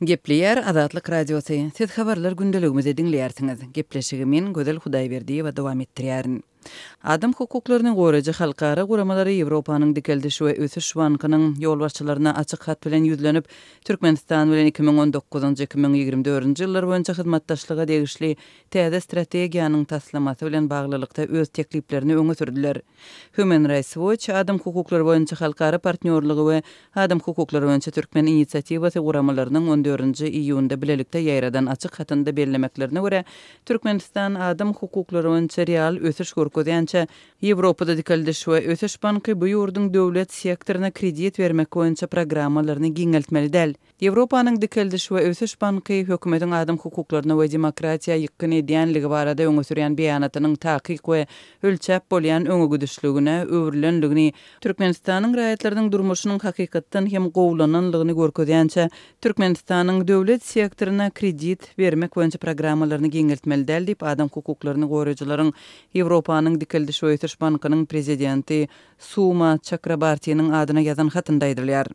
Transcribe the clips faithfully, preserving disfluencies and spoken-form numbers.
Gepleýär Azatlyk Radiosy. Siz habarlar gündeligimizi diňleýärsiňiz. Gepleşigi men Gözel Hudaýberdiýewa dowam etdirýärin. Adam hukuklaryny goraýjy halkara guramalary Ýewropanyň Dikeldiş we ösüş bankynyň ýolbaşçylaryna açyk hat bilen ýüzlenip, Türkmenistan bilen iki müň on dokuzynjy, iki müň ýigrimi dördünji ýyllar boýunça hyzmatdaşlyga degişli täze strategiýanyň taslamasy bilen baglylykda öz tekliplerini öňe sürdüler. Human Rights Watch, Adam hukuklary boýunça halkara partnýorlygy we Adam hukuklary boýunça Türkmen inisiatiwasy guramalarynyň on dördünji iýunda bilelikde ýaýradan açyk hatynda bellemeklerine görä, Türkmenistan adam hukuklary boýunça real ösüş görkezýänçä, Ýewropada Dikeldiş we ösüş banky bu ýurduň döwlet sektoryna kredit bermek boýunça programmalaryny giňeltmeli däl. Ýewropanyň Dikeldiş we ösüş banky hökümetiň adam hukuklaryna we demokratiýa ýykgyn edýänligi barada öňe sürýän beýanatynyň takyk we ölçäp bolýan öňegidişligine öwrülenligini, Türkmenistanyň raýatlarynyň durmuşynyň hakykatdan hem gowulananlygyny görkezýänçä, Türkmenistanyň döwlet sektoryna kredit bermek boýunça programmalaryny giňeltmeli däl diýip, adam hukuklaryny goraýjylaryň Ýewropanyň Dikeldiş we ösüş bankynyň prezidenti Suma Çakrabartiniň adyna ýazan hatynda aýdylýar.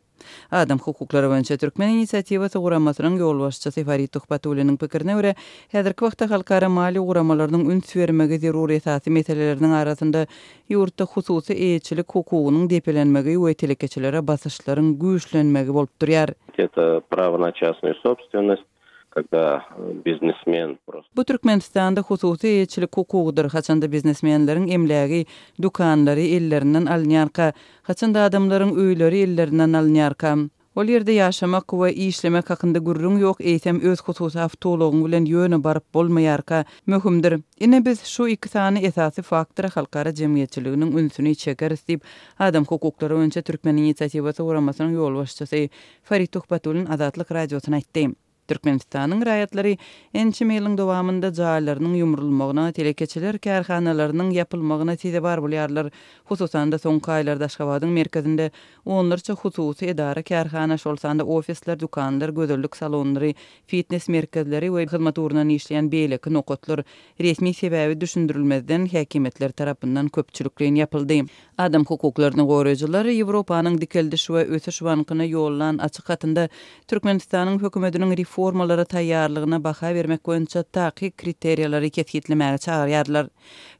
Adam hukuklary boýunça Türkmen inisiatiwasy guramasynyň ýolbaşçysy Farid Tuhbatulliniň pikirine görä, häzirki wagtda halkara maliýe guramalarynyň üns bermegi zerur esasy meseleleriniň arasynda ýurtda hususy eýeçilik hukugynyň depelenmegi we telekeçilere basyşlaryň güýçlenmegi bolup durýar. Это право на частную собственность, когда biznesmen просто Bu Türkmenistanda hususy eýeçilik hukugydyr, haçanda biznesmenleriň emlägi, dükanlary ellerinden alynýarka, haçanda adamlaryň öýleri ellerinden alynýarka, ol ýerde ýaşamak we işlemek hakynda gürrüň ýok, eýsem öz hususy awtoulagyň bilen ýöne baryp bolmaýarka möhümdir. Ine biz şu iki sany esasy faktora halkara jemgyýetçiliginiň ünsüni çekeris diýip, adam hukuklary boýunça Türkmen inisiatiwasy guramasynyň ýolbaşçysy Farid Tuhbatullin Azatlyk Radiosyna aýtdy. Türkmenistanyň raýatlary ençeme ýylyň dowamynda jaýlarynyň ýumrulmagyna, telekeçiler kärhanalarynyň ýapylmagyna sezewar bolýarlar. Hususan-da soňky aýlarda Aşgabadyň merkezinde onlarça hususy edara kärhana, şol sanda ofisler, dükanlar, gözellik salonlary, fitness merkezleri we hyzmat ugrundan işleýän beýleki nokatlar resmi sebäbi düşündirilmezden häkimiýetler tarapyndan köpçülikleýin ýapyldy. Adam hukuklaryny goraýjylar Ýewropanyň Dikeldiş we ösüş bankyna ýollan açyk hatynda Türkmenistanyň hökümetiniň reformalara taýýarlygyna baha bermek boýunça takyk kriteriýalary kesgitlemäge çagyrýarlar.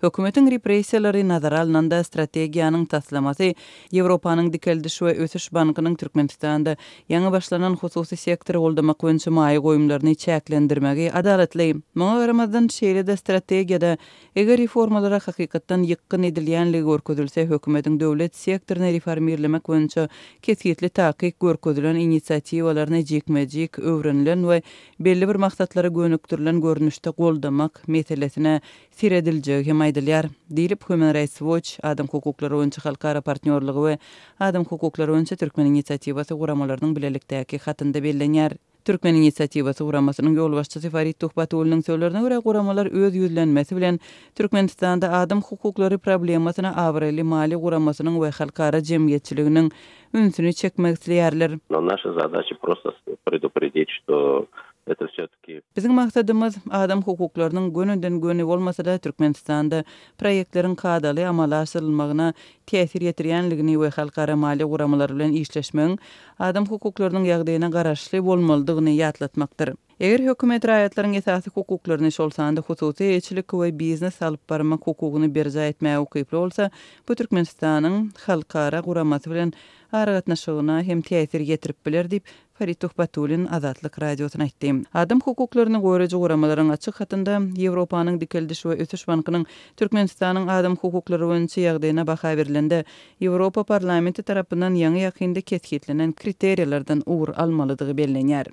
Hökümetiň repressiýalary nazara alnanda strategiýanyň taslamasy Ýewropanyň Dikeldiş we ösüş bankynyň Türkmenistanda ýaňy başlanan hususy sektory goldamak boýunça maýa goýumlaryny çäklendirmegi adalatly. Muňa garamazdan şeýle-de strategiýada eger reformalara hakykatdan ýykgyn edilýänligi görkezilse, hökümetiň döwlet sektoryny reformirlemek boýunça kesgitli takyk görkezilen inisiatiwalaryny jikme-jik öwrenilen we belli bir maksatlara gönükdirilen görnüşde goldamak meselesine serediljegi hem aýdylýar. Diýlip Human Rights Watch, Adam hukuklary boýunça halkara partnýorlygy we Adam hukuklary boýunça Türkmen inisiatiwasy guramalarynyň bilelikdäki hatynda bellenýär. Türkmen inisiatiwasy guramasynyň ýolbaşçysy Farid Tuhbatulliniň sözlerine görä guramalar öz ýüzlenmesi bilen Türkmenistanda adam hukuklary problemasyna abraýly maliýe guramasynyň we halkara jemgyýetçiliginiň ünsüni çekmek isleýärler. Но наша задача просто предупредить, что это все-таки Biziň maksadymyz adam hukuklarynyň gönüden göni bolmasa-da Türkmenistanda proýektleriň kadaly amala aşyrylmagyna täsir ýetirýänligini we halkara maliýe guramalary bilen işleşmegiň adam hukuklarynyň ýagdaýyna garaşly bolmalydygyny ýatlatmakdyr. Eger hökümet raýatlaryň esasy hukuklaryny şol sanda hususy eýeçilik we biznes alyp barmak hukugyny berjaý etmäge ukyply bolsa, bu Türkmenistanyň halkara guramasy bilen aragatnaşygyna hem täsir ýetirip biler diýip Farid Tuhbatullin Azatlyk Radiosyna aýtdy. Adam hukuklaryny goraýjy guramalaryň açyk hatynda Ýewropanyň Dikeldiş we ösüş bankynyň Türkmenistanyň adam hukuklary boýunça ýagdaýyna baha berilende Ýewropa parlamenti tarapyndan ýaňy ýakynda kesgitlenen kriteriýalardan ugur almalydygy bellenýär.